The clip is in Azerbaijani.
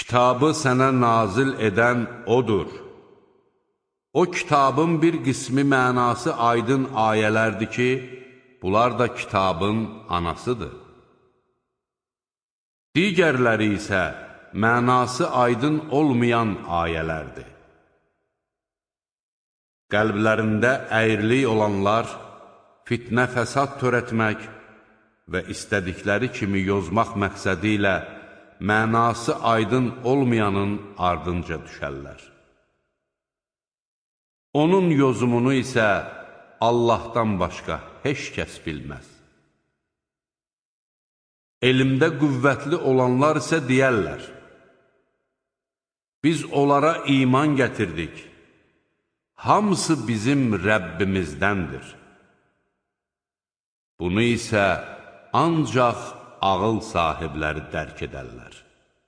Kitabı sənə nazil edən odur. O kitabın bir qismi mənası aydın ayələrdir ki, bunlar da kitabın anasıdır. Digərləri isə mənası aydın olmayan ayələrdir. Qəlblərində əyrilik olanlar fitnə fəsad törətmək və istədikləri kimi yozmaq məqsədi ilə mənası aydın olmayanın ardınca düşərlər. Onun yozumunu isə Allahdan başqa heç kəs bilməz. Elmdə qüvvətli olanlar isə deyərlər, biz onlara iman gətirdik, hamısı bizim Rəbbimizdəndir. Bunu isə ancaq ağıl sahibləri dərk edərlər.